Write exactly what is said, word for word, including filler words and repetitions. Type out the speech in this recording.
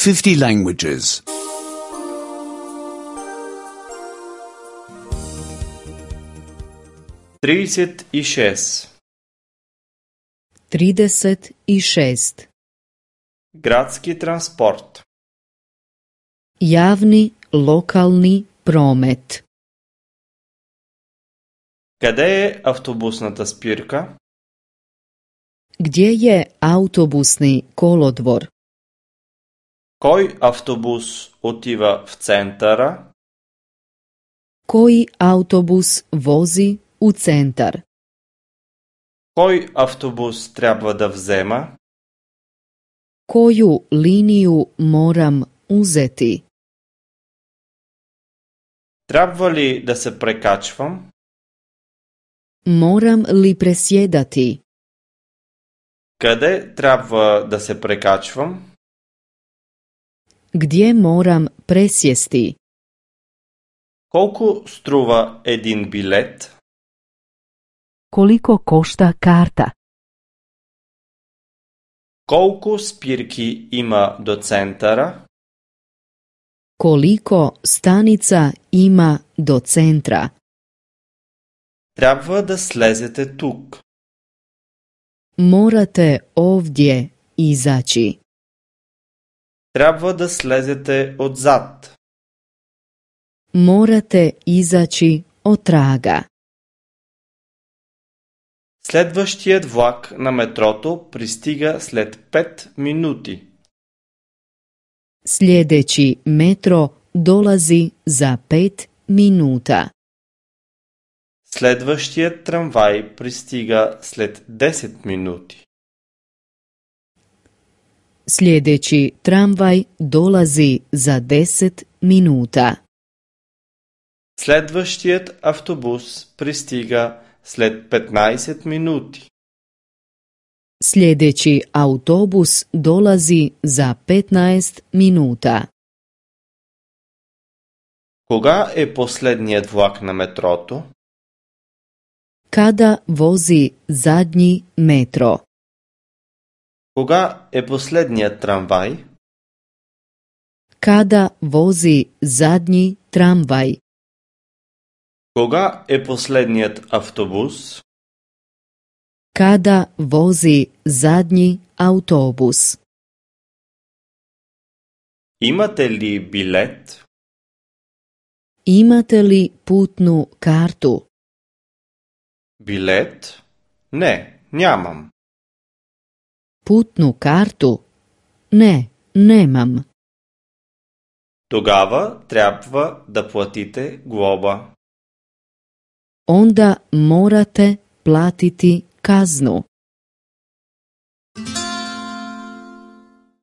fifty languages. тридцать шесть. trideset šest. Gradski transport. Javni lokalni promet. Къде е автобусната спирка? Gdje je autobusni kolodvor? Кой автобус отива в центъра? Koji autobus vozi u centar? Кой автобус трябва да взема? Koju liniju moram uzeti? Трябва ли да се прекачвам? Moram li presjedati? Къде трябва да се прекачвам? Gdje moram presjesti? Колко струва един билет? Koliko košta karta? Колко спирки има до центъра? Koliko stanica ima do centra? Трябва да слезете тук. Morate ovdje izaći. Трябва да слезете отзад. Morate izaći otraga. Следващият влак на метрото пристига след пет минути. Sljedeći metro dolazi za pet minuta. Следващият трамвай пристига след десет минути. Sljedeći tramvaj dolazi za deset minuta. Следващият автобус пристига след петнайсет минути. Sljedeći autobus dolazi za petnaest minuta. Кога е последният влак на метрото? Kada vozi zadnji metro? Кога е последният трамвай? Kada vozi zadnji tramvaj? Кога е последният автобус? Kada vozi zadnji autobus? Имате ли билет? Imate li putnu kartu? Билет? Не, нямам. Putnu kartu? Ne, nemam. Тогава трябва да платите глоба. Onda morate platiti kaznu.